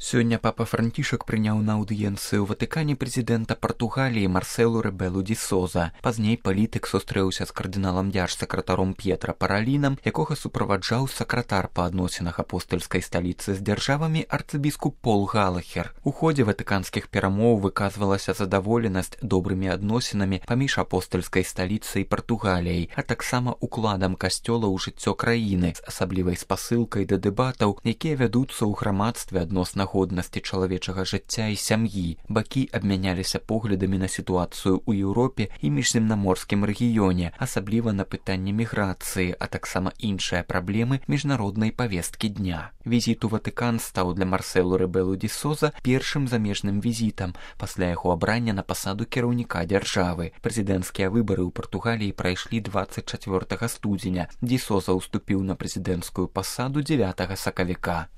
Сёння папа Францішак прыняў на аўдыенцыю ў Ватыкане прэзідэнта Партугаліі Марселу Рэбелу ді Соза. Пазней палітык сустрэўся з кардыналам дзяржсакратаром П'етра Паралінам, якога суправаджаў сакратар па адносінах апостальскай сталіцы з дзяржавамі арцыбіскуп Пол Галахер. У ходзе ватыканскіх перамоў выказвалася задаволенасць добрымі адносінамі паміж апостальскай сталіцай і Партугаліяй, а таксама укладам касцёла ў жыццё краіны з асаблівай спасылкай да дэбатаў, якія вядуцца ў грамадстве адносна годнасці чалавечага жыцця і сям'і. Бакі абмяняліся поглядамі на сітуацыю ў Еўропе і міжземнаморскім рэгіёне, асабліва на пытанне міграцыі, а таксама іншыя праблемы міжнароднай павесткі дня. Візіт у Ватыкан стаў для Марселу Рэбелу ді Соза першым замежным візітам пасля яго абрання на пасаду кіраўніка дзяржавы. Прэзідэнцкія выбары ў Партугаліі прайшлі 24 студзеня. Ді Соза ўступіў на прэзідэнцкую пасаду 9 сакавіка.